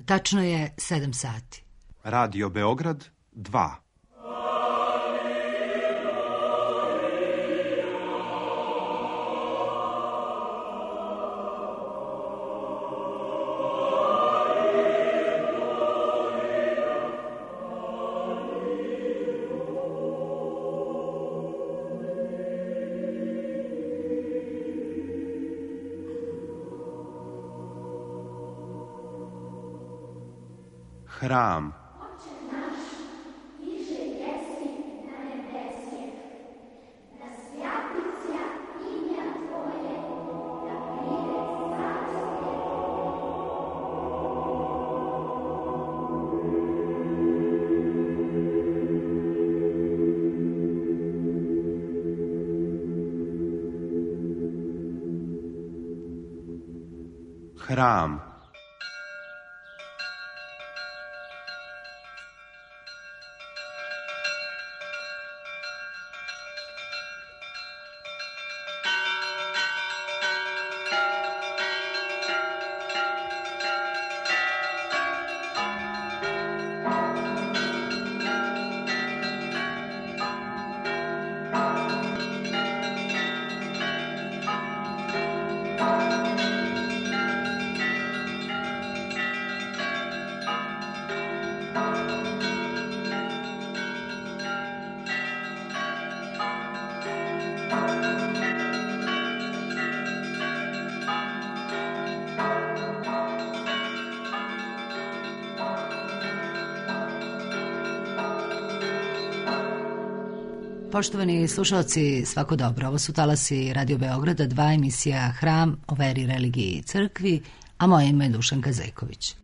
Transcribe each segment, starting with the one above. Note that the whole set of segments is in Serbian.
Tačno je 7 sati. Radio Beograd 2. Hram. Hram. Poštovani slušalci, svako dobro. Ovo su talasi Radio Beograda 2, emisija Hram o veri, religiji i crkvi, a moje ime je Dušanka Zejković.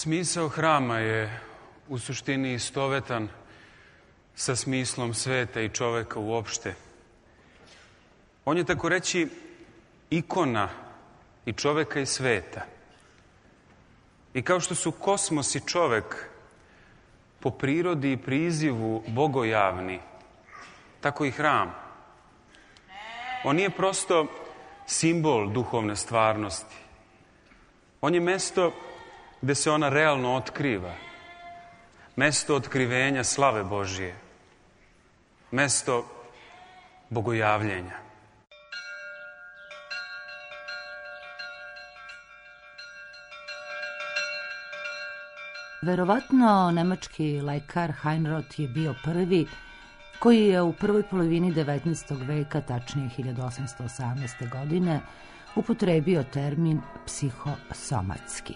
Smisao hrama je u suštini istovetan sa smislom sveta i čoveka uopšte. On je, tako reći, ikona i čoveka i sveta. I kao što su kosmos i čovek po prirodi i prizivu bogojavni, tako i hram. On nije prosto simbol duhovne stvarnosti. On je mesto gde se ona realno otkriva. Mesto otkrivenja slave Božije. Mesto bogojavljenja. Verovatno nemački lekar Heinroth je bio prvi koji je u prvoj polovini 19. veka, tačnije 1818. godine, upotrebio termin psihosomatski.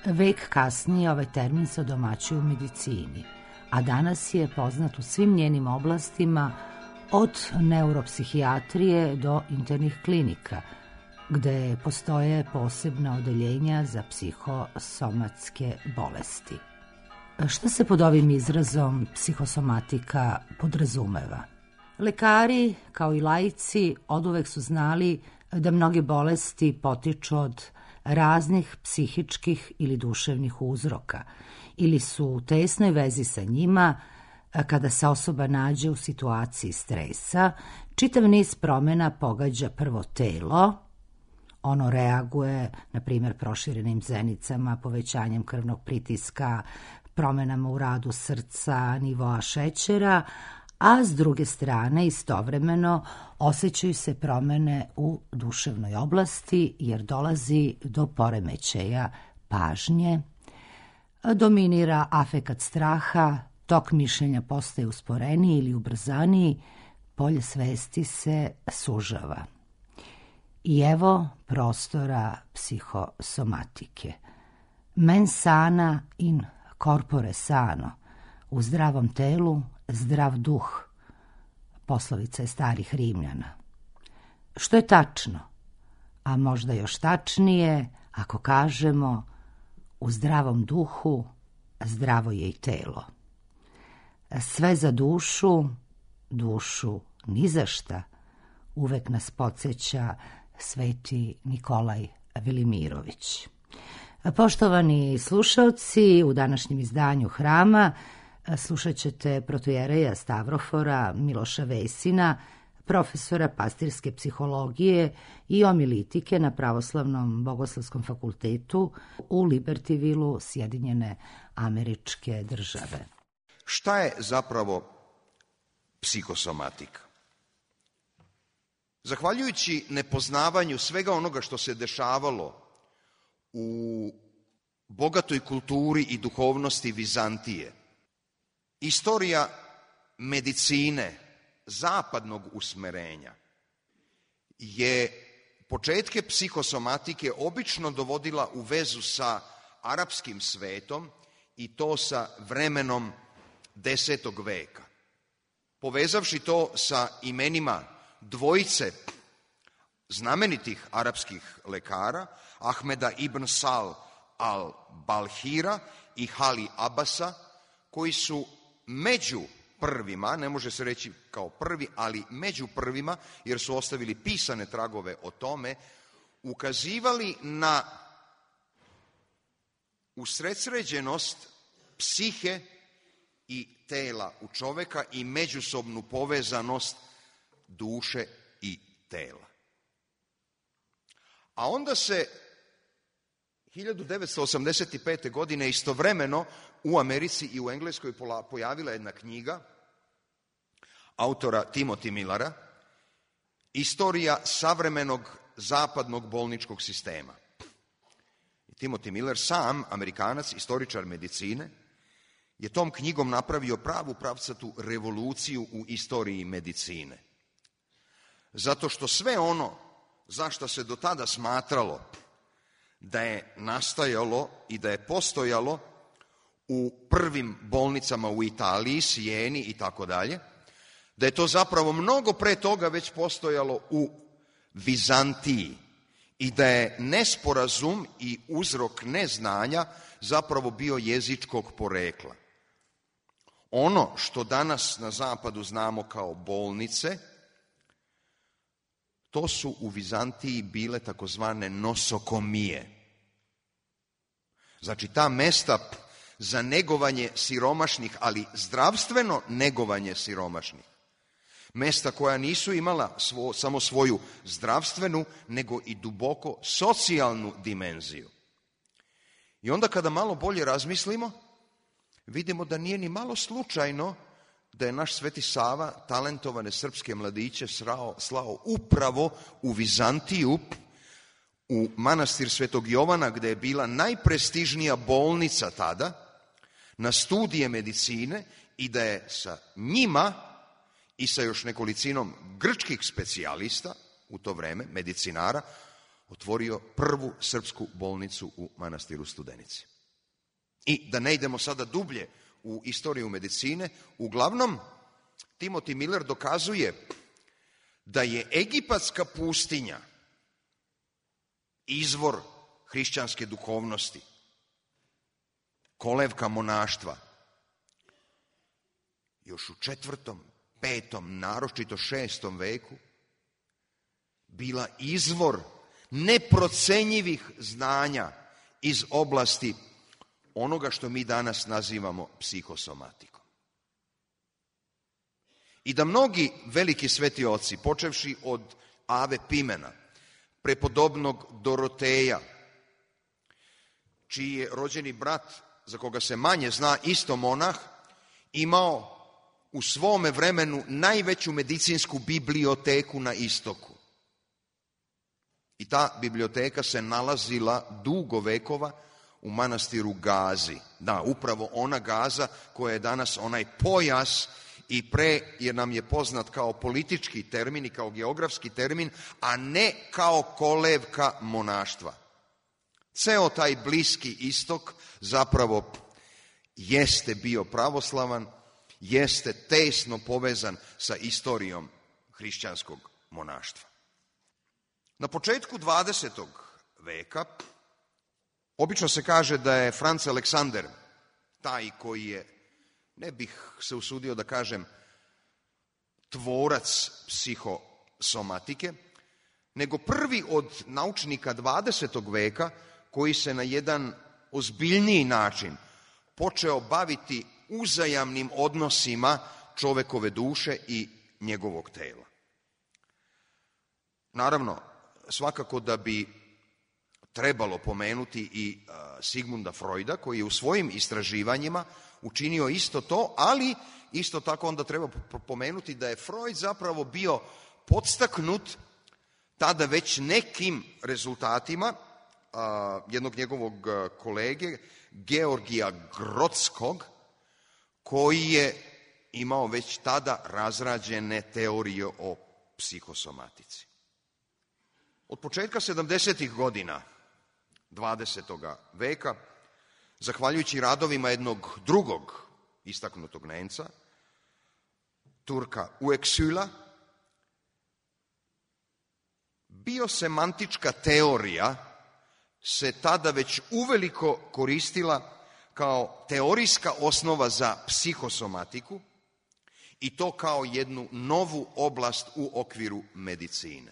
Vek kasnije ovaj termin se odomaćuje u medicini, a danas je poznat u svim njenim oblastima, od neuropsihijatrije do internih klinika, gde postoje posebna odeljenja za psihosomatske bolesti. Šta se pod ovim izrazom psihosomatika podrazumeva? Lekari, kao i laici, oduvek su znali da mnoge bolesti potiču od raznih psihičkih ili duševnih uzroka ili su u tesnoj vezi sa njima. Kada se osoba nađe u situaciji stresa, čitav niz promjena pogađa prvo telo. Ono reaguje, na primjer, proširenim zenicama, povećanjem krvnog pritiska, promjenama u radu srca, nivoa šećera, a s druge strane istovremeno osjećaju se promene u duševnoj oblasti jer dolazi do poremećaja pažnje, dominira afekat straha, tok mišljenja postaje usporeniji ili ubrzaniji, polje svesti se sužava. I evo prostora psihosomatike. Mens sana in corpore sano, u zdravom telu zdrav duh, poslovica je starih Rimljana. Što je tačno, a možda još tačnije ako kažemo u zdravom duhu zdravo je i telo. Sve za dušu, dušu ni za šta, uvek nas podsjeća sveti Nikolaj Velimirović. Poštovani slušalci, u današnjem izdanju Hrama slušat ćete protojereja Stavrofora Miloša Vesina, profesora pastirske psihologije i omilitike na Pravoslavnom bogoslovskom fakultetu u Libertyvilu, Sjedinjene Američke Države. Šta je zapravo psihosomatika? Zahvaljujući nepoznavanju svega onoga što se dešavalo u bogatoj kulturi i duhovnosti Vizantije, istorija medicine zapadnog usmerenja je početke psihosomatike obično dovodila u vezu sa arapskim svetom i to sa vremenom 10. veka. Povezavši to sa imenima dvojice znamenitih arapskih lekara, Ahmeda ibn Sal al-Balhira i Hali Abasa, koji su među prvima, ne može se reći kao prvi, ali među prvima, jer su ostavili pisane tragove o tome, ukazivali na usredsređenost psihe i tela u čoveka i međusobnu povezanost duše i tela. A onda se 1985. godine istovremeno u Americi i u Engleskoj pojavila jedna knjiga autora Timothy Millera, Istorija savremenog zapadnog bolničkog sistema. Timothy Miller, sam Amerikanac, istoričar medicine, je tom knjigom napravio pravu pravcatu revoluciju u istoriji medicine. Zato što sve ono zašto se do tada smatralo da je nastajalo i da je postojalo u prvim bolnicama u Italiji, Sijeni i tako dalje, da je to zapravo mnogo pre toga već postojalo u Vizantiji i da je nesporazum i uzrok neznanja zapravo bio jezičkog porekla. Ono što danas na zapadu znamo kao bolnice, to su u Vizantiji bile takozvane nosokomije. Znači ta mesta za negovanje siromašnih, ali zdravstveno negovanje siromašnih. Mesta koja nisu imala samo svoju zdravstvenu, nego i duboko socijalnu dimenziju. I onda kada malo bolje razmislimo, vidimo da nije ni malo slučajno da je naš Sveti Sava talentovane srpske mladiće slao upravo u Vizantiju, u manastir Svetog Jovana, gde je bila najprestižnija bolnica tada, na studije medicine i da je sa njima i sa još nekolicinom grčkih specijalista u to vreme, medicinara, otvorio prvu srpsku bolnicu u manastiru Studenici. I da ne idemo sada dublje u istoriju medicine, uglavnom Timothy Miller dokazuje da je egipatska pustinja izvor hrišćanske duhovnosti, kolevka monaštva. Još u 4., 5., naročito 6. veku bila izvor neprocenjivih znanja iz oblasti onoga što mi danas nazivamo psihosomatikom. I da mnogi veliki sveti oci, počevši od Ave Pimena, prepodobnog Doroteja, čiji je rođeni brat, za koga se manje zna, isto monah, imao u svome vremenu najveću medicinsku biblioteku na istoku. I ta biblioteka se nalazila dugo vekova u manastiru Gazi. Da, upravo ona Gaza koja je danas onaj pojas i jer nam je poznat kao politički termin i kao geografski termin, a ne kao kolevka monaštva. Ceo taj Bliski istok zapravo jeste bio pravoslavan, jeste tesno povezan sa istorijom hrišćanskog monaštva. Na početku 20. veka obično se kaže da je Franz Alexander taj koji je, ne bih se usudio da kažem, tvorac psihosomatike, nego prvi od naučnika 20. veka koji se na jedan ozbiljniji način počeo baviti uzajamnim odnosima čovekove duše i njegovog tela. Naravno, svakako da bi trebalo pomenuti i Sigmunda Freuda, koji je u svojim istraživanjima učinio isto to, ali isto tako onda treba pomenuti da je Freud zapravo bio podstaknut tada već nekim rezultatima jednog njegovog kolege, Georgija Grodskog, koji je imao već tada razrađene teorije o psihosomatici. Od početka 70. godina 20. veka, zahvaljujući radovima jednog drugog istaknutog Nemca, Turka Uexkülla, biosemantička teorija se tada već uveliko koristila kao teorijska osnova za psihosomatiku i to kao jednu novu oblast u okviru medicine.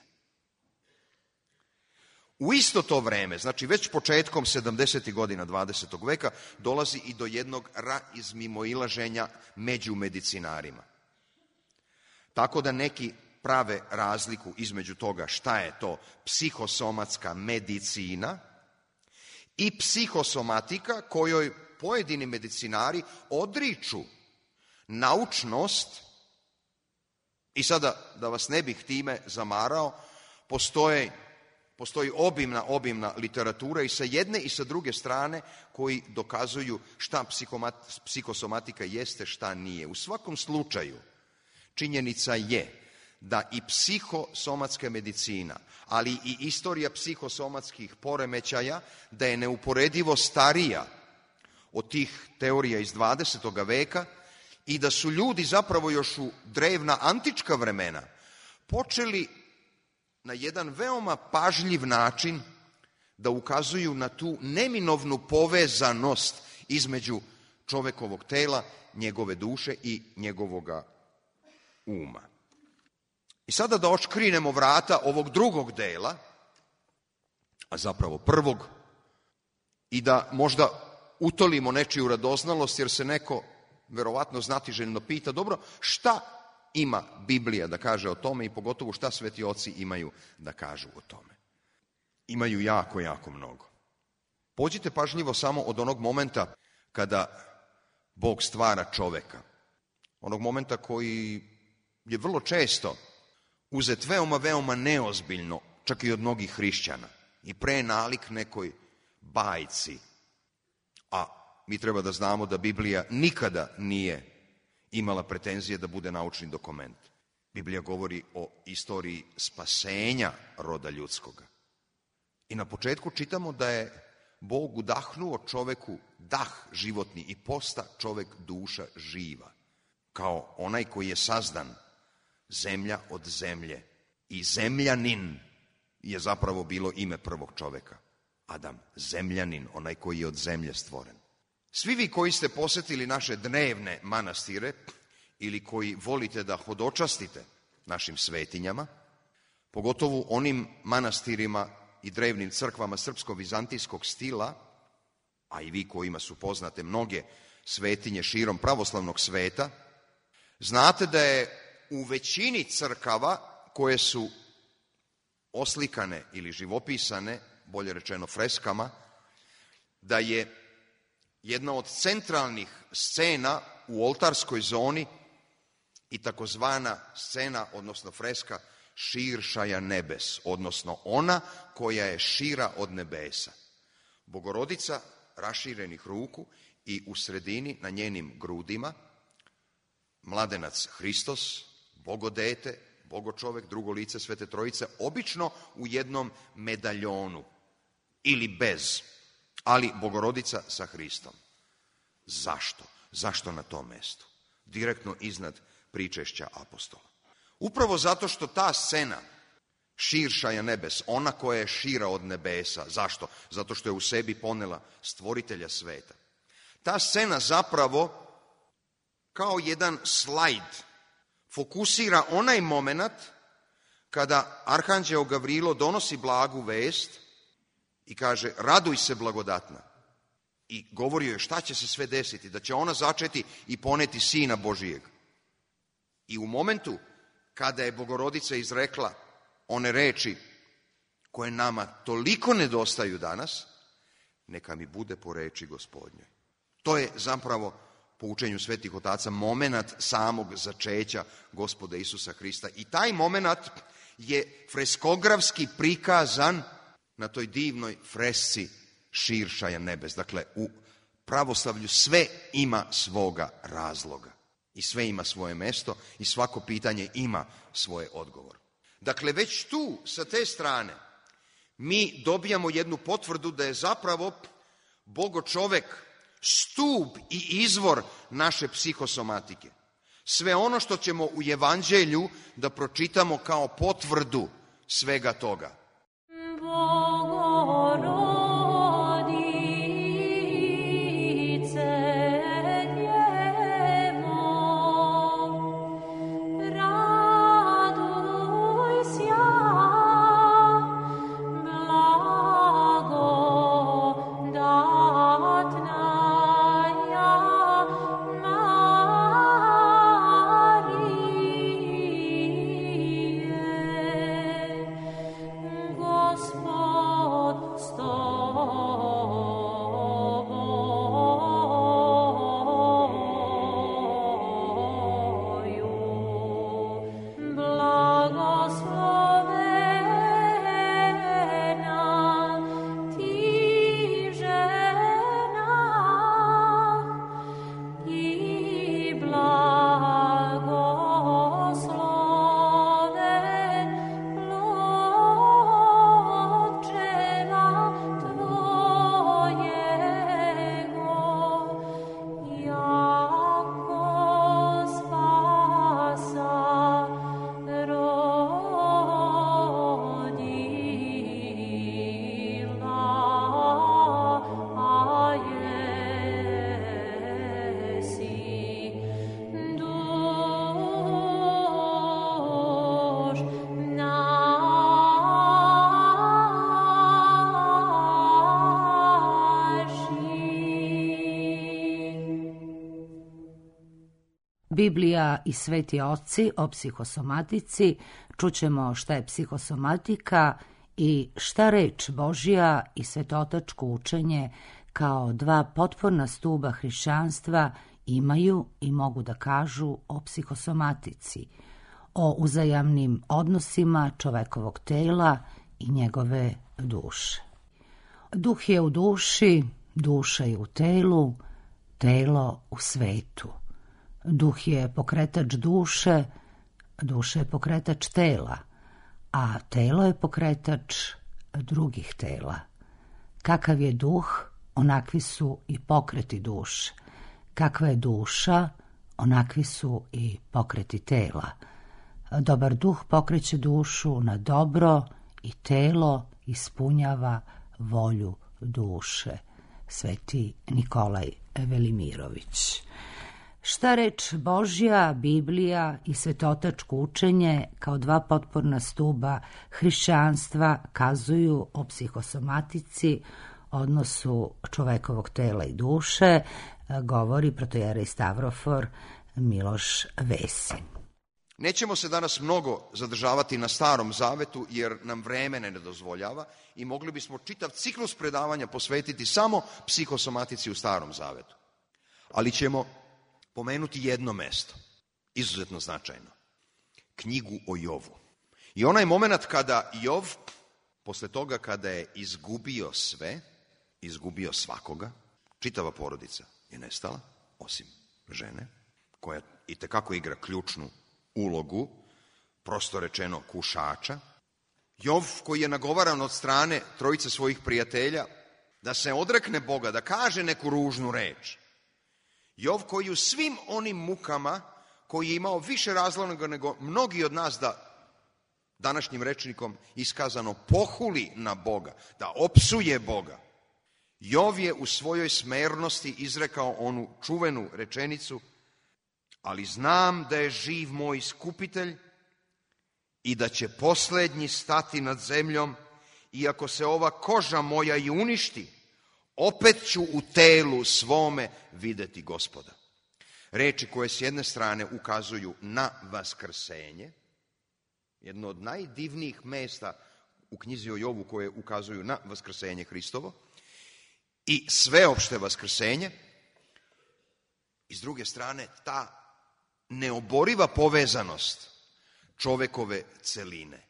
U isto to vreme, znači već početkom 70. godina 20. veka, dolazi i do jednog razmimoilaženja među medicinarima. Tako da neki prave razliku između toga šta je to psihosomatska medicina i psihosomatika kojoj pojedini medicinari odriču naučnost, i sada da vas ne bih time zamarao, postoji obimna literatura i sa jedne i sa druge strane koji dokazuju šta psihosomatika jeste, šta nije. U svakom slučaju, činjenica je da i psihosomatska medicina, ali i istorija psihosomatskih poremećaja, da je neuporedivo starija od tih teorija iz 20. veka i da su ljudi zapravo još u drevna antička vremena počeli na jedan veoma pažljiv način da ukazuju na tu neminovnu povezanost između čovekovog tela, njegove duše i njegovoga uma. I sada da odškrinemo vrata ovog drugog dela, a zapravo prvog, i da možda utolimo nečiju radoznalost, jer se neko verovatno znatiželjno pita, dobro, šta ima Biblija da kaže o tome i pogotovo šta sveti oci imaju da kažu o tome. Imaju jako, jako mnogo. Pođite pažljivo samo od onog momenta kada Bog stvara čoveka. Onog momenta koji je vrlo često uzet veoma, veoma neozbiljno, čak i od mnogih hrišćana, i pre nalik nekoj bajci. A mi treba da znamo da Biblija nikada nije imala pretenzije da bude naučni dokument. Biblija govori o istoriji spasenja roda ljudskoga. I na početku čitamo da je Bog udahnuo čoveku dah životni i posta čovek duša živa, kao onaj koji je sazdan zemlja od zemlje. I zemljanin je zapravo bilo ime prvog čoveka. Adam, zemljanin, onaj koji je od zemlje stvoren. Svi vi koji ste posetili naše dnevne manastire ili koji volite da hodočastite našim svetinjama, pogotovo onim manastirima i drevnim crkvama srpsko-vizantijskog stila, a i vi kojima su poznate mnoge svetinje širom pravoslavnog sveta, znate da je u većini crkava koje su oslikane ili živopisane, bolje rečeno freskama, da je jedna od centralnih scena u oltarskoj zoni i takozvana scena, odnosno freska širšaja nebes, odnosno ona koja je šira od nebesa. Bogorodica raširenih ruku i u sredini na njenim grudima mladenac Hristos, Bogodete, Bogočovek, drugo lice Svete Trojice, obično u jednom medaljonu ili bez, ali Bogorodica sa Hristom. Zašto? Zašto na tom mestu? Direktno iznad pričešća apostola. Upravo zato što ta scena širšaja nebes, ona koja je šira od nebesa. Zašto? Zato što je u sebi ponela stvoritelja sveta. Ta scena zapravo kao jedan slajd fokusira onaj moment kada arhanđeo Gavrilo donosi blagu vest i kaže raduj se blagodatna. I govori joj šta će se sve desiti, da će ona začeti i poneti Sina Božijeg. I u momentu kada je Bogorodica izrekla one reči koje nama toliko nedostaju danas, neka mi bude po reči Gospodnjoj. To je zapravo po učenju svetih otaca momenat samog začeća Gospoda Isusa Hrista. I taj momenat je freskografski prikazan na toj divnoj fresci širšaja nebes. Dakle, u pravoslavlju sve ima svoga razloga i sve ima svoje mesto i svako pitanje ima svoj odgovor. Dakle, već tu, sa te strane, mi dobijamo jednu potvrdu da je zapravo Bogočovek stup i izvor naše psihosomatike. Sve ono što ćemo u Evanđelju da pročitamo kao potvrdu svega toga. Biblija i sveti oci o psihosomatici, čućemo šta je psihosomatika i šta reč Božja i svetotačko učenje kao dva potporna stuba hrišćanstva imaju i mogu da kažu o psihosomatici, o uzajamnim odnosima čovekovog tela i njegove duše. Duh je u duši, duša je u telu, telo u svetu. Duh je pokretač duše, duša je pokretač tela, a telo je pokretač drugih tela. Kakav je duh, onakvi su i pokreti duše. Kakva je duša, onakvi su i pokreti tela. Dobar duh pokreće dušu na dobro i telo ispunjava volju duše. Sveti Nikolaj Velimirović. Šta reč Božja, Biblija i svetotačko učenje kao dva potporna stuba hrišćanstva kazuju o psihosomatici, odnosu čovekovog tela i duše, govori protojerej Stavrofor Miloš Vesin. Nećemo se danas mnogo zadržavati na Starom Zavetu jer nam vreme ne dozvoljava i mogli bismo čitav ciklus predavanja posvetiti samo psihosomatici u Starom Zavetu. Ali ćemo pomenuti jedno mesto. izuzetno značajno. Knjigu o Jovu. I onaj moment kada Jov, posle toga kada je izgubio sve, izgubio svakoga, čitava porodica je nestala, osim žene, koja itekako igra ključnu ulogu, prosto rečeno kušača. Jov koji je nagovaran od strane trojice svojih prijatelja da se odrekne Boga, da kaže neku ružnu reč. Jov koji u svim onim mukama, koji je imao više razloga nego mnogi od nas da današnjim rečnikom iskazano pohuli na Boga, da opsuje Boga. Jov je u svojoj smernosti izrekao onu čuvenu rečenicu: ali znam da je živ moj iskupitelj i da će posljednji stati nad zemljom, iako se ova koža moja i uništi, opet ću u telu svome vidjeti Gospoda. Reči koje s jedne strane ukazuju na vaskrsenje, jedno od najdivnijih mesta u knjizi o Jovu koje ukazuju na vaskrsenje Hristovo i sveopšte vaskrsenje, i s druge strane ta neoboriva povezanost čovekove celine.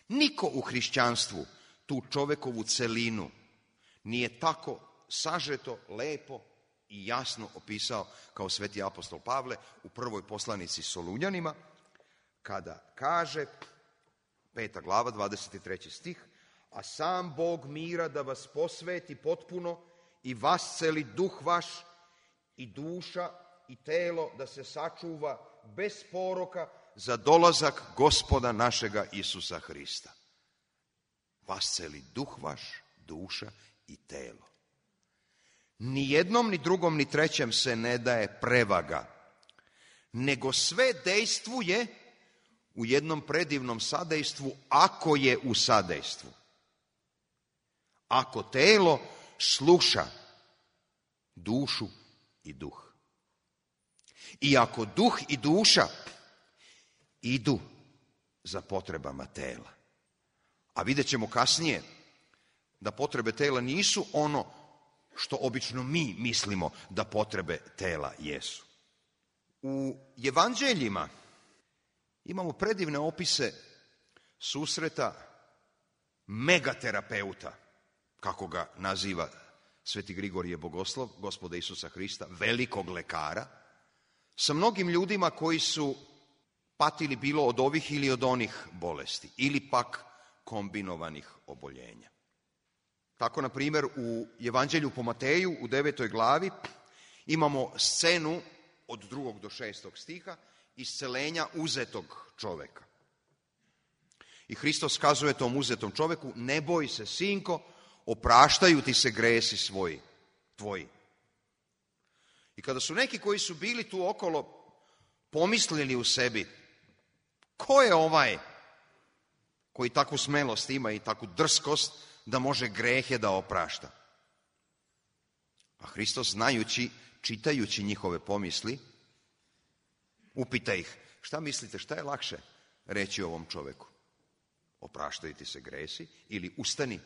Niko u hrišćanstvu tu čovekovu celinu nije tako sažeto, lepo i jasno opisao kao sveti apostol Pavle u prvoj poslanici Solunjanima, kada kaže, 5. glava, 23. stih, a sam Bog mira da vas posveti potpuno i vasceli duh vaš i duša i telo da se sačuva bez poroka za dolazak Gospoda našega Isusa Hrista. Vasceli duh vaš, duša i telo. Ni jednom, ni drugom, ni trećem se ne daje prevaga, nego sve dejstvuje u jednom predivnom sadejstvu, ako je u sadejstvu. Ako telo sluša dušu i duh. I ako duh i duša idu za potrebama tela. A vidjet ćemo kasnije da potrebe tela nisu ono što obično mi mislimo da potrebe tela jesu. U evanđeljima imamo predivne opise susreta megaterapeuta, kako ga naziva sveti Grigorije Bogoslov, Gospoda Isusa Hrista, velikog lekara, sa mnogim ljudima koji su patili bilo od ovih ili od onih bolesti, ili pak kombinovanih oboljenja. Tako, na primjer, u Evanđelju po Mateju u 9. glavi imamo scenu od 2. do 6. stiha iscelenja uzetog čoveka. I Hristos kazuje tom uzetom čoveku: ne boj se, sinko, opraštaju ti se gresi tvoji. I kada su neki koji su bili tu okolo pomislili u sebi: ko je ovaj koji takvu smelost ima i takvu drskost da može grehe da oprašta? A Hristos, znajući, čitajući njihove pomisli, upita ih: šta mislite, šta je lakše reći ovom čoveku? Opraštaju ti se gresi ili ustani?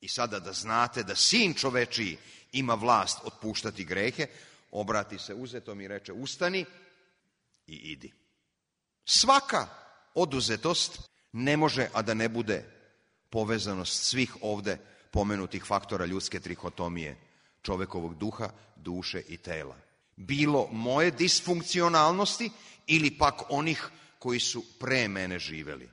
I sada da znate da sin čovečiji ima vlast otpuštati grehe, obrati se uzetom i reče: ustani i idi. Svaka oduzetost ne može, a da ne bude povezanost svih ovde pomenutih faktora ljudske trihotomije, čovekovog duha, duše i tela. Bilo moje disfunkcionalnosti ili pak onih koji su pre mene živeli.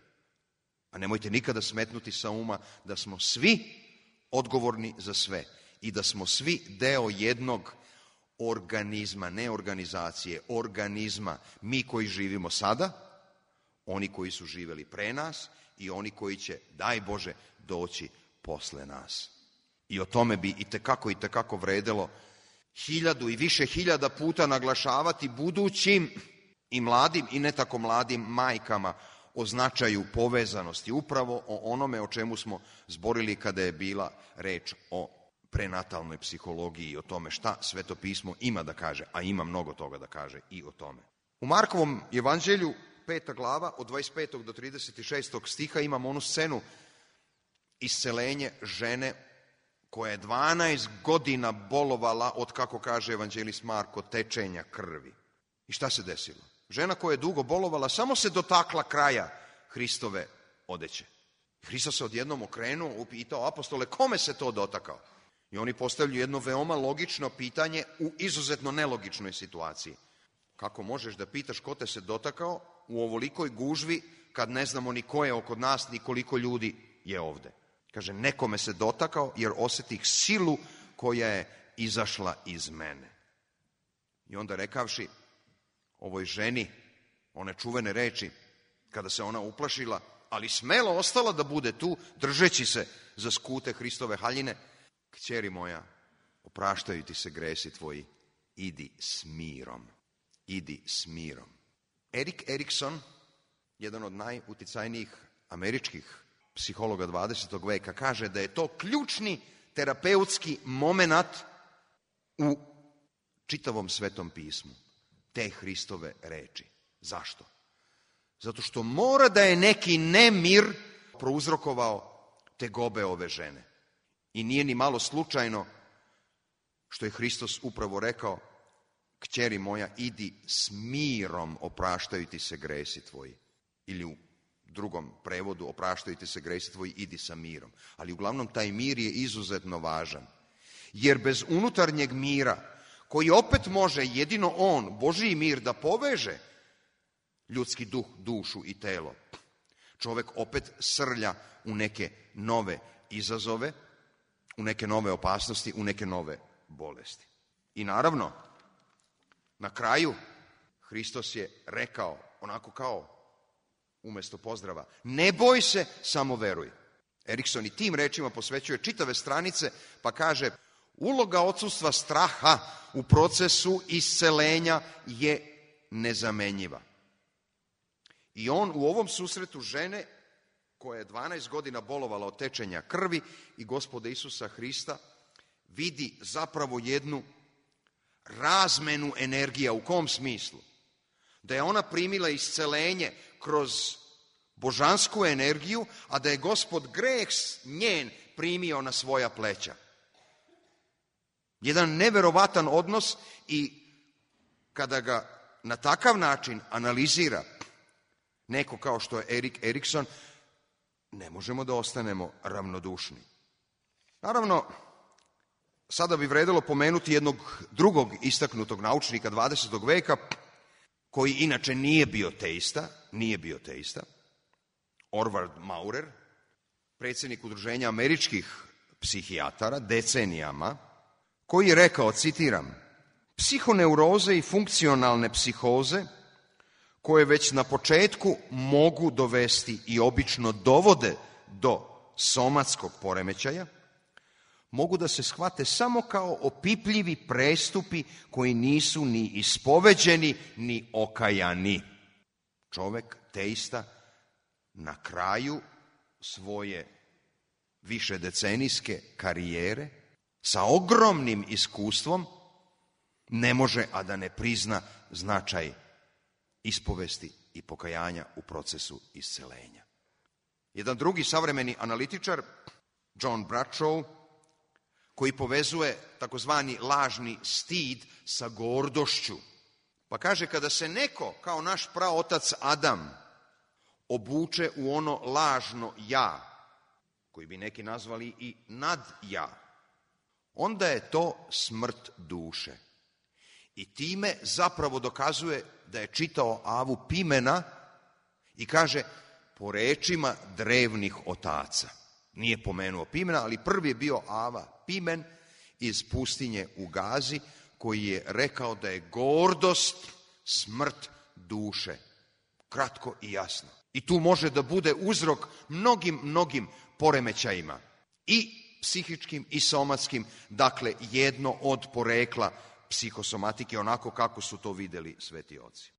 A nemojte nikada smetnuti sa uma da smo svi odgovorni za sve i da smo svi deo jednog organizma, ne organizacije, organizma. Mi koji živimo sada, oni koji su živeli pre nas i oni koji će, daj Bože, doći posle nas. I o tome bi itekako vredelo 1000 i više hiljada puta naglašavati budućim i mladim i ne tako mladim majkama o značaju povezanosti, upravo o onome o čemu smo zborili kada je bila reč o prenatalnoj psihologiji i o tome šta Sveto pismo ima da kaže, a ima mnogo toga da kaže i o tome. U Markovom evanđelju 5. glava od 25. do 36. stiha imamo onu scenu iscelenje žene koja je 12 godina bolovala od, kako kaže evanđelist Marko, tečenja krvi. I šta se desilo? Žena koja je dugo bolovala samo se dotakla kraja Hristove odeće. Hristos se odjednom okrenuo, upitao apostole, kome se to dotakao? I oni postavljaju jedno veoma logično pitanje u izuzetno nelogičnoj situaciji. Kako možeš da pitaš ko te se dotakao u ovolikoj gužvi kad ne znamo ni ko je oko nas, ni koliko ljudi je ovde? Kaže, nekome se dotakao jer osjetih silu koja je izašla iz mene. I onda rekavši ovoj ženi one čuvene reči, kada se ona uplašila, ali smelo ostala da bude tu, držeći se za skute Hristove haljine, kćeri moja, opraštaju ti se gresi tvoji, idi s mirom. Idi s mirom. Erik Erikson, jedan od najuticajnijih američkih psihologa 20. veka, kaže da je to ključni terapeutski moment u čitavom Svetom pismu. Te Hristove reči. Zašto? Zato što mora da je neki nemir prouzrokovao tegobe ove žene. I nije ni malo slučajno što je Hristos upravo rekao, kćeri moja, idi s mirom, opraštaju ti se gresi tvoji. Ili u drugom prevodu, opraštaju ti se gresi tvoji, idi sa mirom. Ali uglavnom taj mir je izuzetno važan. Jer bez unutarnjeg mira, koji opet može jedino on, Božji mir, da poveže ljudski duh, dušu i telo, čovek opet srlja u neke nove izazove, u neke nove opasnosti, u neke nove bolesti. I naravno, na kraju Hristos je rekao, onako kao umjesto pozdrava, ne boj se, samo veruj. Erikson i tim rečima posvećuje čitave stranice, pa kaže, uloga odsustva straha u procesu iscelenja je nezamenjiva. I on u ovom susretu žene, koja je 12 godina bolovala od tečenja krvi i Gospoda Isusa Hrista, vidi zapravo jednu razmenu energija. U kom smislu? Da je ona primila iscelenje kroz božansku energiju, a da je Gospod greh njen primio na svoja pleća. Jedan neverovatan odnos i kada ga na takav način analizira neko kao što je Erik Erikson, ne možemo da ostanemo ravnodušni. Naravno, sada bi vredelo pomenuti jednog drugog istaknutog naučnika 20. veka, koji inače nije bio teista, Orvard Maurer, predsjednik Udruženja američkih psihijatara decenijama, koji je rekao, citiram, psihoneuroze i funkcionalne psihoze, koje već na početku mogu dovesti i obično dovode do somatskog poremećaja, mogu da se shvate samo kao opipljivi prestupi koji nisu ni ispoveđeni, ni okajani. Čovek, teista, na kraju svoje višedecenijske karijere, sa ogromnim iskustvom, ne može a da ne prizna značaj ispovesti i pokajanja u procesu iscelenja. Jedan drugi savremeni analitičar, John Bradshaw, koji povezuje takozvani lažni stid sa gordošću, pa kaže, kada se neko, kao naš praotac Adam, obuče u ono lažno ja, koji bi neki nazvali i nadja, onda je to smrt duše. I time zapravo dokazuje da je čitao Avu Pimena i kaže, po rečima drevnih otaca. Nije pomenuo Pimena, ali prvi je bio Ava Pimen iz pustinje u Gazi, koji je rekao da je gordost smrt duše. Kratko i jasno. I tu može da bude uzrok mnogim poremećajima. I psihičkim i somatskim, dakle jedno od porekla psihosomatike, onako kako su to videli sveti oci.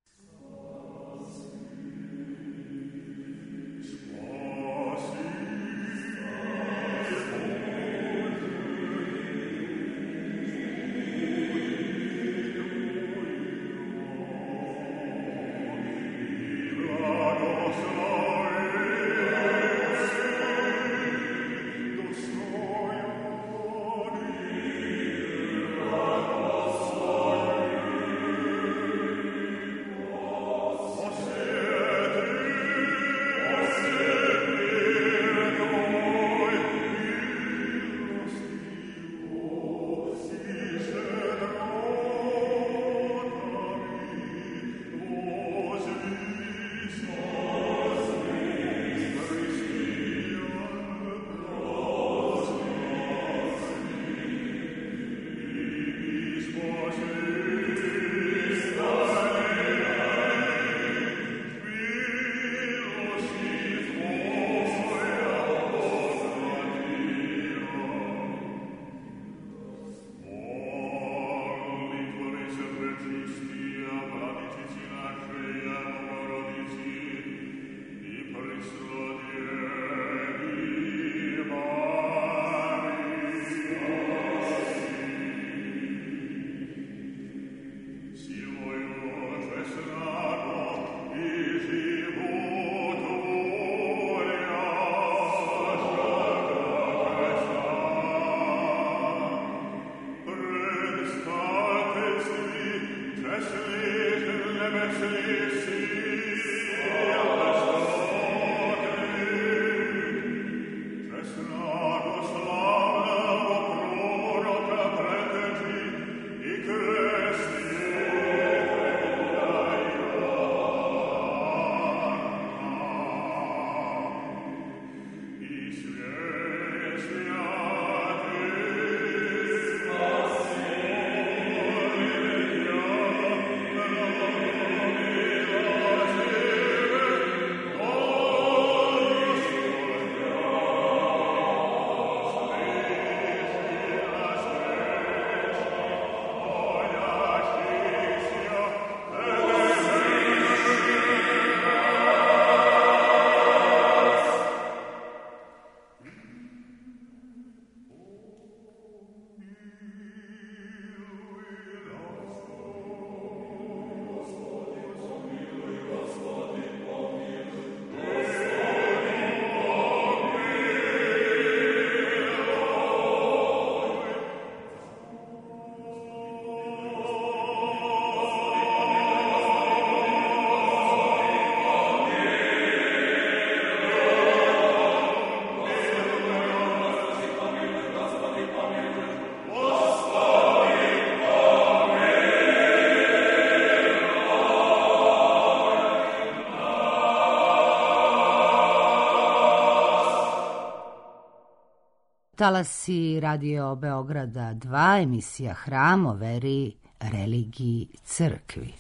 Talasi Radio Beograda 2, emisija Hram o veri, religiji, crkvi.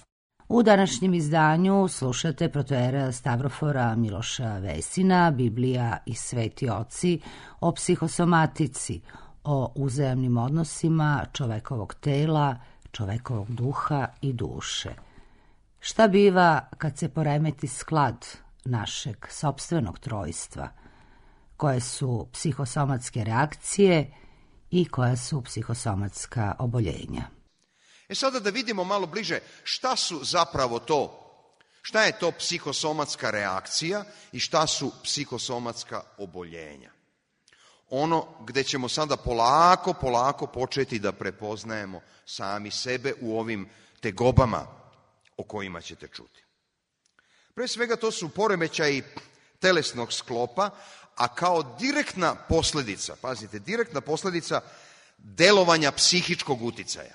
U današnjem izdanju slušate protoijereja Stavrofora Miloša Vesina, Biblija i Sveti oci o psihosomatici, o uzajamnim odnosima čovekovog tela, čovekovog duha i duše. Šta biva kad se poremeti sklad našeg sopstvenog trojstva? Koje su psihosomatske reakcije i koja su psihosomatska oboljenja? Sada da vidimo malo bliže šta su zapravo to, šta je to psihosomatska reakcija i šta su psihosomatska oboljenja. Ono gde ćemo sada polako početi da prepoznajemo sami sebe u ovim tegobama o kojima ćete čuti. Pre svega to su poremećaji telesnog sklopa, a kao direktna posljedica, pazite, direktna posljedica delovanja psihičkog uticaja.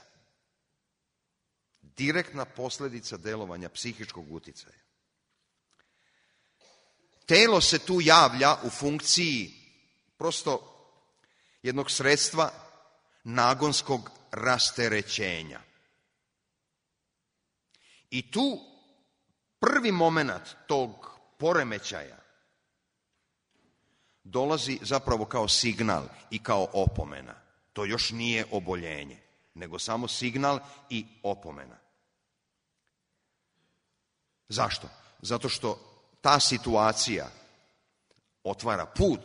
Direktna posljedica delovanja psihičkog uticaja. Telo se tu javlja u funkciji prosto jednog sredstva nagonskog rasterećenja. I tu prvi moment tog poremećaja dolazi zapravo kao signal i kao opomena. To još nije oboljenje, nego samo signal i opomena. Zašto? Zato što ta situacija otvara put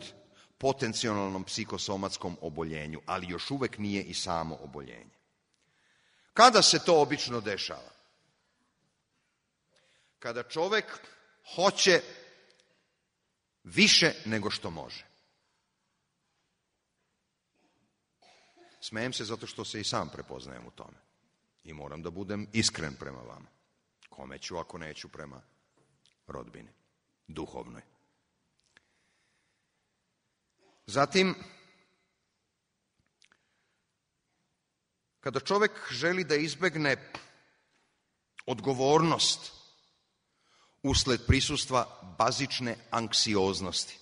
potencijalnom psihosomatskom oboljenju, ali još uvek nije i samo oboljenje. Kada se to obično dešava? Kada čovek hoće više nego što može. Smejem se zato što se i sam prepoznajem u tome. I moram da budem iskren prema vama. Kome ću ako neću prema rodbini, duhovnoj. Zatim, kada čovek želi da izbegne odgovornost usled prisustva bazične anksioznosti.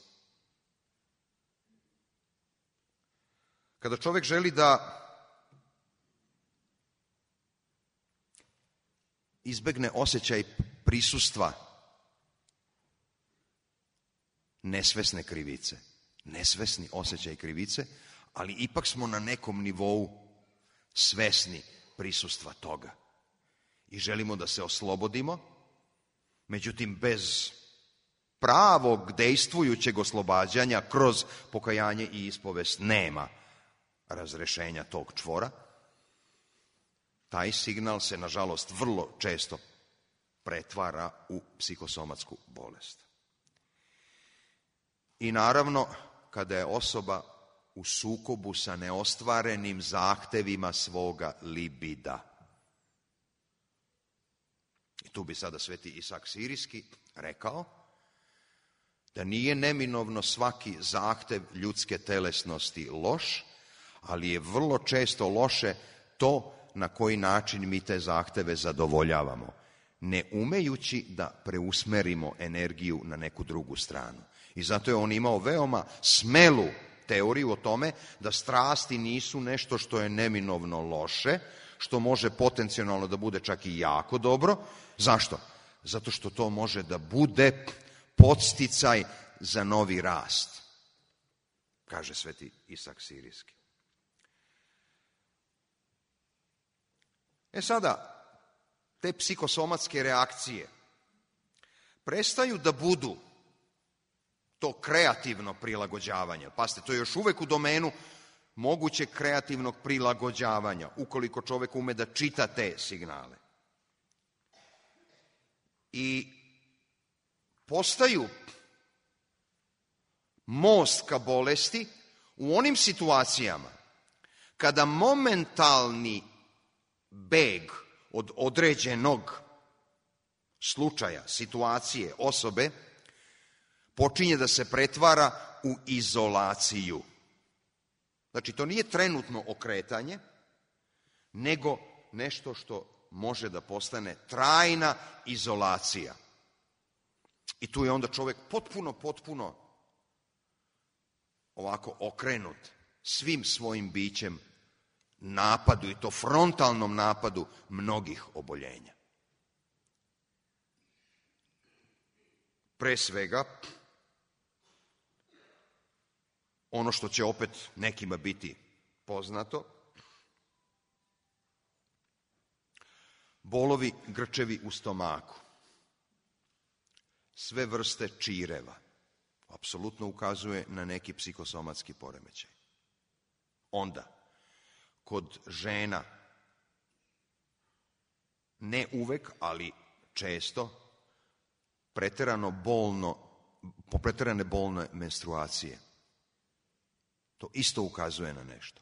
Kada čovek želi da izbegne osjećaj prisustva nesvesne krivice, nesvesni osjećaj krivice, ali ipak smo na nekom nivou svesni prisustva toga. I želimo da se oslobodimo, međutim bez pravog dejstvujućeg oslobađanja kroz pokajanje i ispovest nema razrešenja tog čvora. Taj signal se, nažalost, vrlo često pretvara u psihosomatsku bolest. I naravno, kada je osoba u sukobu sa neostvarenim zahtevima svoga libida. I tu bi sada sveti Isak Sirijski rekao da nije neminovno svaki zahtev ljudske telesnosti loš, ali je vrlo često loše to na koji način mi te zahteve zadovoljavamo, ne umejući da preusmerimo energiju na neku drugu stranu. I zato je on imao veoma smelu teoriju o tome da strasti nisu nešto što je neminovno loše, što može potencijalno da bude čak i jako dobro. Zašto? Zato što to može da bude podsticaj za novi rast, kaže sveti Isak Sirijski. Sada, te psihosomatske reakcije prestaju da budu to kreativno prilagođavanje. Pazite, to je još uvek u domenu mogućeg kreativnog prilagođavanja, ukoliko čovek ume da čita te signale. I postaju most ka bolesti u onim situacijama kada momentalni beg od određenog slučaja, situacije, osobe, počinje da se pretvara u izolaciju. Znači, to nije trenutno okretanje, nego nešto što može da postane trajna izolacija. I tu je onda čovjek potpuno ovako okrenut svim svojim bićem napadu, i to frontalnom napadu mnogih oboljenja. Pre svega, ono što će opet nekima biti poznato, bolovi, grčevi u stomaku, sve vrste čireva, apsolutno ukazuje na neki psihosomatski poremećaj. Onda, kod žena, ne uvek, ali često, preterane bolne menstruacije. To isto ukazuje na nešto.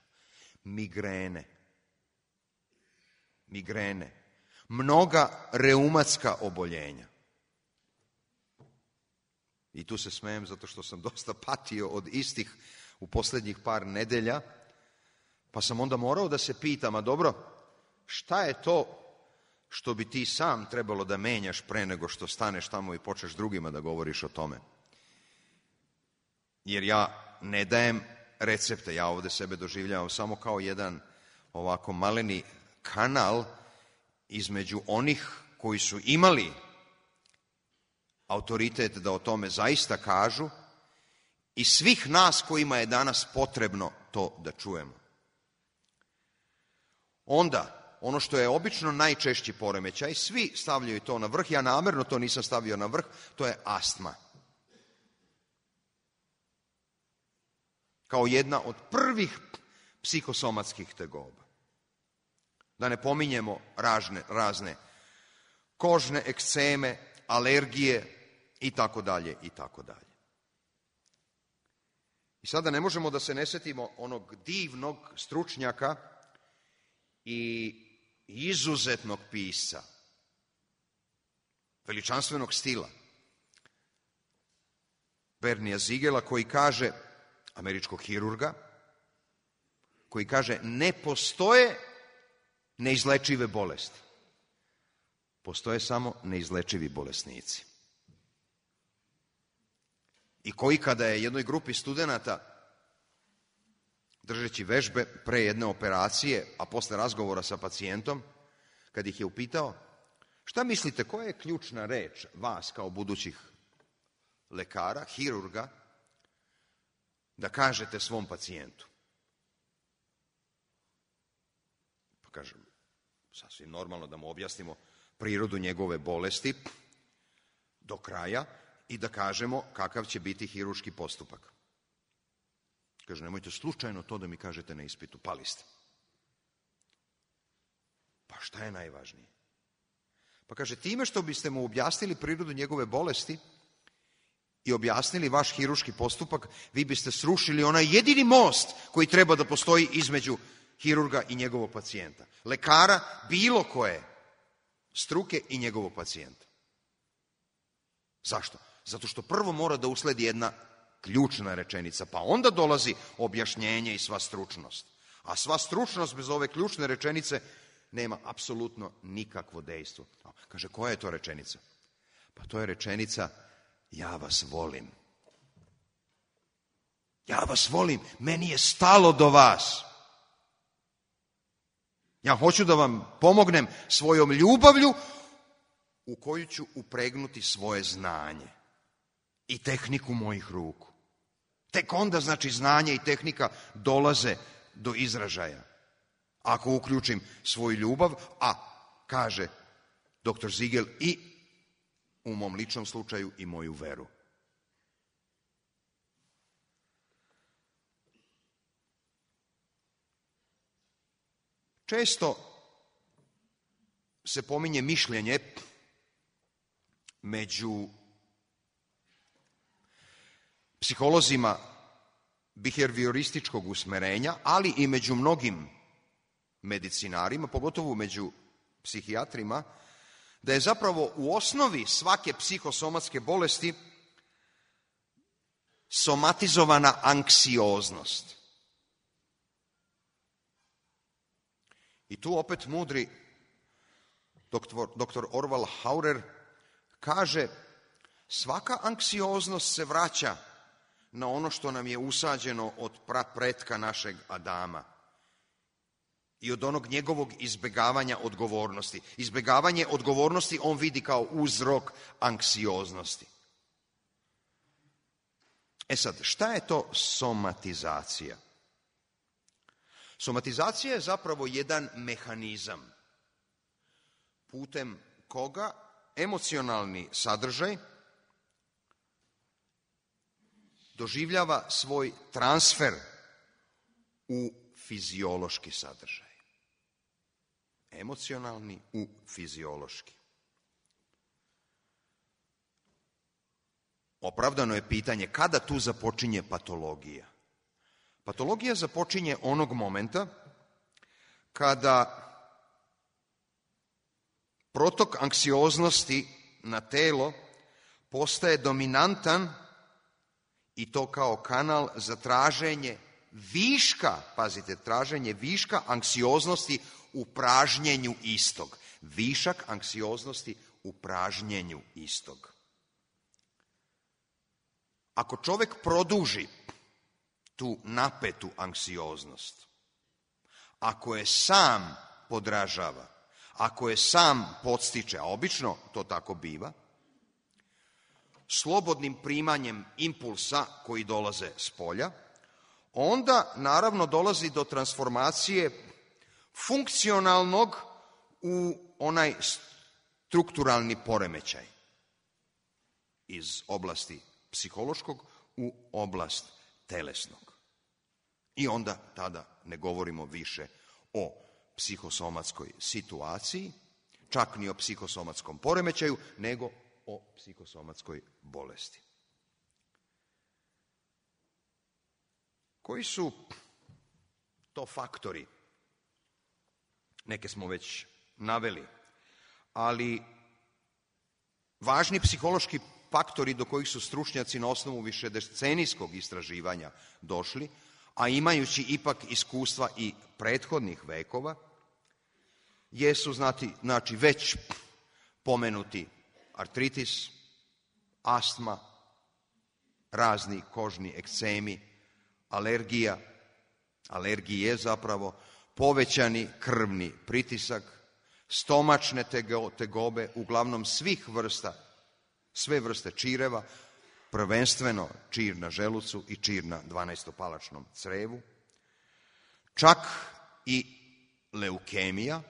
Migrene, mnoga reumatska oboljenja. I tu se smejem zato što sam dosta patio od istih u posljednjih par nedelja, pa sam onda morao da se pitam, a dobro, šta je to što bi ti sam trebalo da menjaš pre nego što staneš tamo i počneš drugima da govoriš o tome? Jer ja ne dajem recepte, ja ovde sebe doživljavam samo kao jedan ovako maleni kanal između onih koji su imali autoritet da o tome zaista kažu i svih nas kojima je danas potrebno to da čujemo. Onda, ono što je obično najčešći poremećaj, svi stavljaju to na vrh, ja namerno to nisam stavio na vrh, to je astma. Kao jedna od prvih psihosomatskih tegoba. Da ne pominjemo razne kožne ekceme, alergije i tako dalje, i tako dalje. I sada ne možemo da se ne setimo onog divnog stručnjaka i izuzetnog pisca, veličanstvenog stila, Bernija Zigela, koji kaže, američkog hirurga, koji kaže, ne postoje neizlečive bolesti. Postoje samo neizlečivi bolesnici. I koji kada je jednoj grupi studenata, držeći vežbe pre jedne operacije, a posle razgovora sa pacijentom, kad ih je upitao, šta mislite, koja je ključna reč vas kao budućih lekara, hirurga, da kažete svom pacijentu? Pa kažem, sasvim normalno da mu objasnimo prirodu njegove bolesti do kraja i da kažemo kakav će biti hirurški postupak. Kaže, nemojte slučajno to da mi kažete na ispitu, pali ste. Pa šta je najvažnije? Pa kaže, time što biste mu objasnili prirodu njegove bolesti i objasnili vaš hirurški postupak, vi biste srušili onaj jedini most koji treba da postoji između hirurga i njegovog pacijenta. Lekara bilo koje struke i njegovog pacijenta. Zašto? Zato što prvo mora da usledi jedna ključna rečenica, pa onda dolazi objašnjenje i sva stručnost. A sva stručnost bez ove ključne rečenice nema apsolutno nikakvo dejstvo. Kaže, koja je to rečenica? Pa to je rečenica, ja vas volim. Ja vas volim, meni je stalo do vas. Ja hoću da vam pomognem svojom ljubavlju u koju ću upregnuti svoje znanje i tehniku mojih ruku. Tek onda, znači, znanje i tehnika dolaze do izražaja. Ako uključim svoju ljubav, a, kaže dr. Ziegel, i u mom ličnom slučaju i moju veru. Često se pominje mišljenje među psiholozima biheviorističkog usmerenja, ali i među mnogim medicinarima, pogotovo među psihijatrima, da je zapravo u osnovi svake psihosomatske bolesti somatizovana anksioznost. I tu opet mudri dr. Orval Haurer kaže, svaka anksioznost se vraća na ono što nam je usađeno od prapretka našeg Adama i od onog njegovog izbjegavanja odgovornosti. Izbjegavanje odgovornosti on vidi kao uzrok anksioznosti. E sad, šta je to somatizacija? Somatizacija je zapravo jedan mehanizam putem koga emocionalni sadržaj doživljava svoj transfer u fiziološki sadržaj. Emocionalni u fiziološki. Opravdano je pitanje kada tu započinje patologija. Patologija započinje onog momenta kada protok anksioznosti na telo postaje dominantan i to kao kanal za traženje viška, pazite, traženje viška anksioznosti u pražnjenju istog. Višak anksioznosti u pražnjenju istog. Ako čovjek produži tu napetu anksioznost, ako je sam podražava, ako je sam podstiče, a obično to tako biva, slobodnim primanjem impulsa koji dolaze s polja, onda naravno dolazi do transformacije funkcionalnog u onaj strukturalni poremećaj iz oblasti psihološkog u oblast telesnog. I onda tada ne govorimo više o psihosomatskoj situaciji, čak ni o psihosomatskom poremećaju, nego o psihosomatskoj bolesti. Koji su to faktori? Neke smo već naveli, ali važni psihološki faktori do kojih su stručnjaci na osnovu višedecenijskog istraživanja došli, a imajući ipak iskustva i prethodnih vekova, jesu znači već pomenuti artritis, astma, razni kožni ekcemi, alergije zapravo, povećani krvni pritisak, stomačne tegobe, uglavnom sve vrste čireva, prvenstveno čir na želucu i čir na 12-palačnom crevu, čak i leukemija,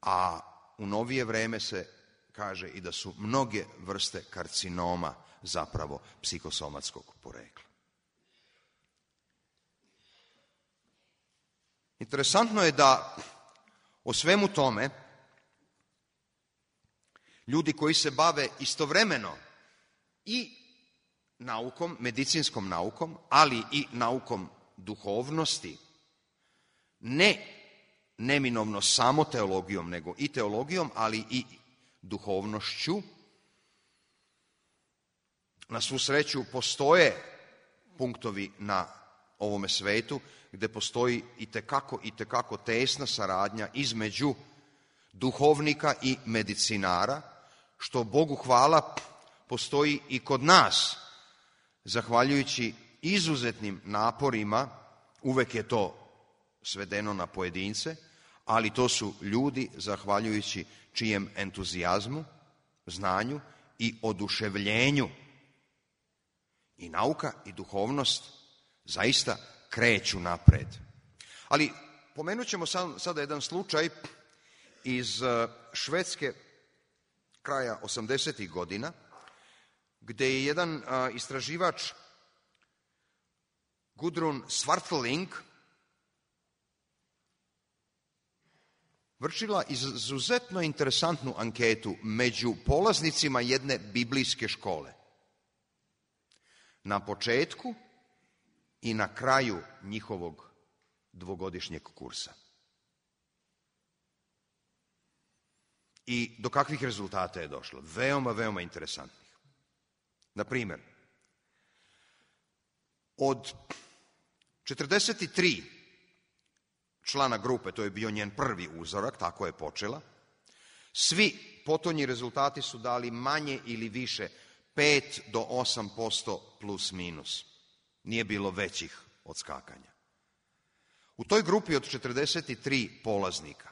a u novije vreme se kaže i da su mnoge vrste karcinoma zapravo psihosomatskog porekla. Interesantno je da o svemu tome ljudi koji se bave istovremeno i naukom, medicinskom naukom, ali i naukom duhovnosti, neminovno samo teologijom, nego i teologijom, ali i duhovnošću. Na svu sreću postoje punktovi na ovome svetu gdje postoji itekako tesna saradnja između duhovnika i medicinara, što Bogu hvala postoji i kod nas, zahvaljujući izuzetnim naporima. Uvek je to svedeno na pojedince, ali to su ljudi zahvaljujući čijem entuzijazmu, znanju i oduševljenju i nauka i duhovnost zaista kreću napred. Ali pomenut ćemo sada jedan slučaj iz Švedske kraja 80. godina, gdje je jedan istraživač Gudrun Svartling vršila izuzetno interesantnu anketu među polaznicima jedne biblijske škole. Na početku i na kraju njihovog dvogodišnjeg kursa. I do kakvih rezultata je došlo? Veoma interesantnih. Na primjer, od 43 člana grupe, to je bio njen prvi uzorak, tako je počela, svi potonji rezultati su dali manje ili više 5 do 8% plus minus. Nije bilo većih odskakanja. U toj grupi od 43 polaznika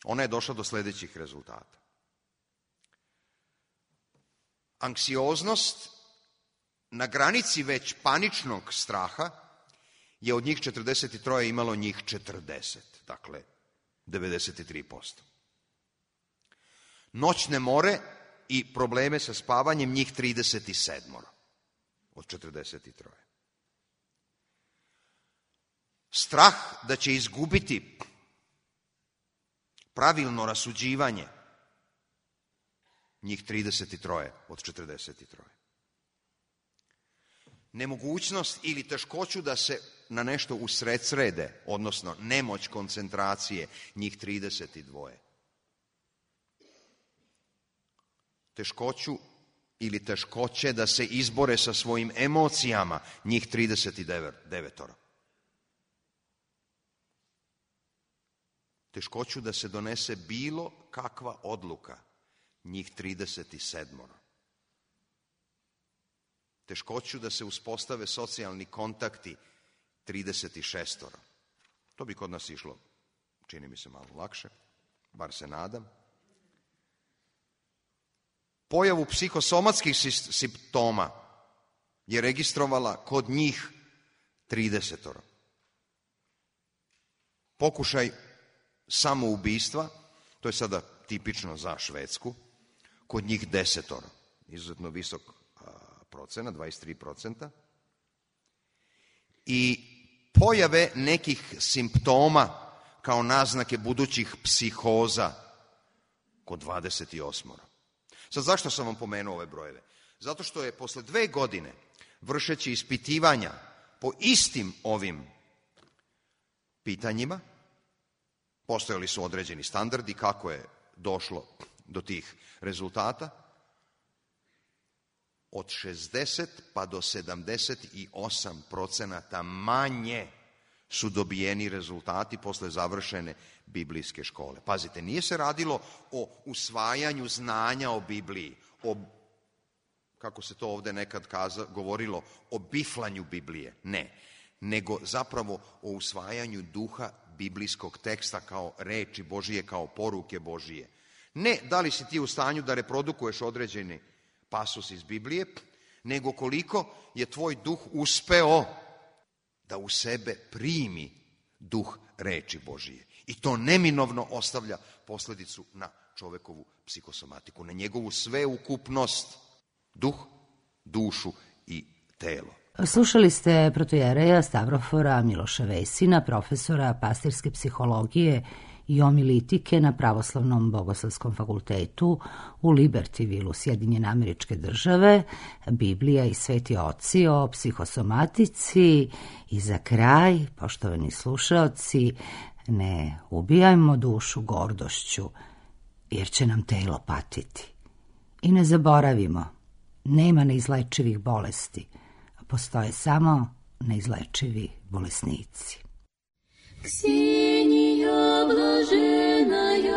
ona je došla do sljedećih rezultata. Anksioznost na granici već paničnog straha je od njih 43 imalo njih 40, dakle 93%. Noćne more i probleme sa spavanjem njih 37 od 43. Strah da će izgubiti pravilno rasuđivanje njih 33 od 43. Nemogućnost ili teškoću da se na nešto usredsrede, odnosno nemoć koncentracije njih 32. Teškoću ili teškoće da se izbore sa svojim emocijama njih 39. Teškoću da se donese bilo kakva odluka njih 37. Teškoću da se uspostave socijalni kontakti 36. To bi kod nas išlo, čini mi se, malo lakše, bar se nadam. Pojavu psihosomatskih simptoma je registrovala kod njih 30. Pokušaj samoubistva, to je sada tipično za Švedsku, kod njih 10. Izuzetno visok procena, 23%. I pojave nekih simptoma kao naznake budućih psihoza kod 28. Sad zašto sam vam pomenuo ove brojeve? Zato što je posle 2 godine vršeći ispitivanja po istim ovim pitanjima, postojali su određeni standardi kako je došlo do tih rezultata, od 60 pa do 78% manje su dobijeni rezultati posle završene biblijske škole. Pazite, nije se radilo o usvajanju znanja o Bibliji, o, kako se to ovde nekad govorilo, o biflanju Biblije, ne, nego zapravo o usvajanju duha biblijskog teksta kao reči Božije, kao poruke Božije. Ne da li si ti u stanju da reprodukuješ određeni pasus iz Biblije, nego koliko je tvoj duh uspeo da u sebe primi duh reči Božije. I to neminovno ostavlja posljedicu na čovekovu psihosomatiku, na njegovu sveukupnost, duh, dušu i telo. Slušali ste protojereja Stavrofora Miloša Vesina, profesora pastirske psihologije i omilitike na Pravoslavnom bogoslovskom fakultetu u Libertyvilu, Sjedinjene Američke Države, Biblija i Sveti oci o psihosomatici. I za kraj, poštovani slušaoci, ne ubijajmo dušu gordošću, jer će nam telo patiti. I ne zaboravimo, nema neizlečivih bolesti, postoje samo neizlečivi bolesnici. Ксения блаженная,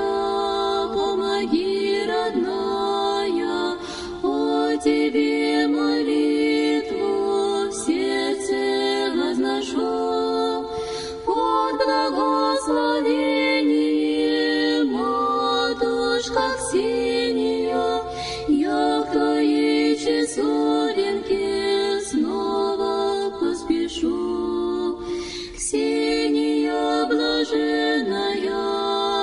помоги, родная, о тебе молитву в сердце возношу, под благословение, матушка Ксения, я к твоей часовенке снова поспешу. Ксения блаженная,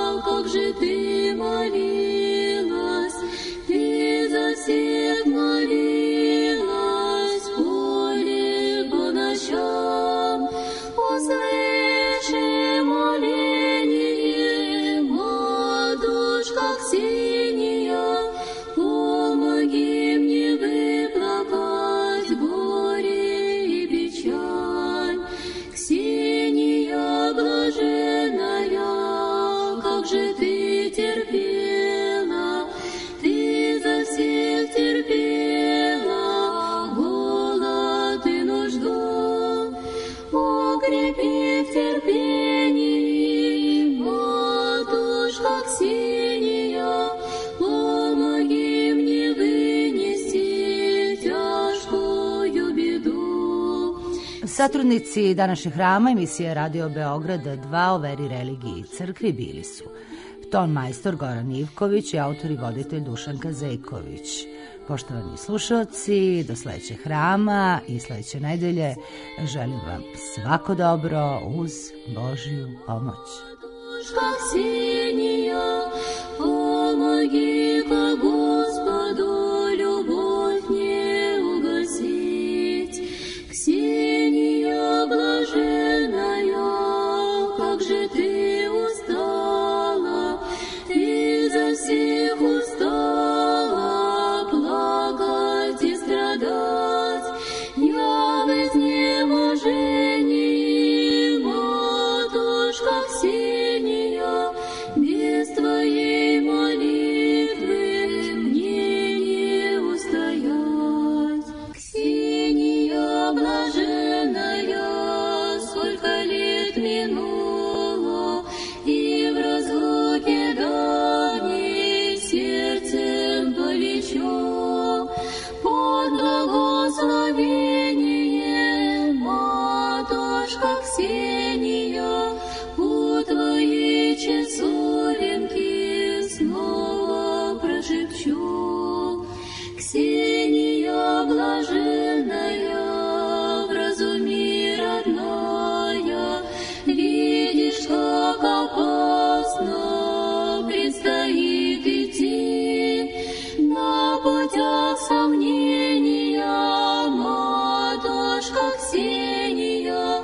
Satrudnici današnjeg hrama emisije Radio Beograd 2 o veri, religiji i crkvi bili su ton majstor Goran Ivković i autor i voditelj Dušanka Zejković. Poštovani slušalci, do sledećeg hrama i sledeće nedelje želim vam svako dobro uz Božju pomoć. Помоги ко Господу любовь не угасить. Ксения блаженная, как же ты устала, ты за всех устала плакать и страдать. Я в изнеможении, матушка Ксения, без твоей молитвы мне не устоять. Ксения блаженная, сколько лет минуло, и в разлуке давней сердцем горячо. Под благословение, матушка Ксения, у твоей часовенки снова прошепчу. Ксения блаженная, в разуме родная, видишь, как опасно предстоит идти на путях сомнения, матушка Ксения,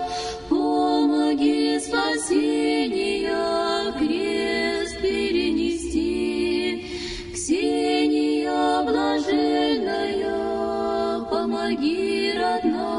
помоги спасения крест перенести. Ксения блаженная, помоги, родная.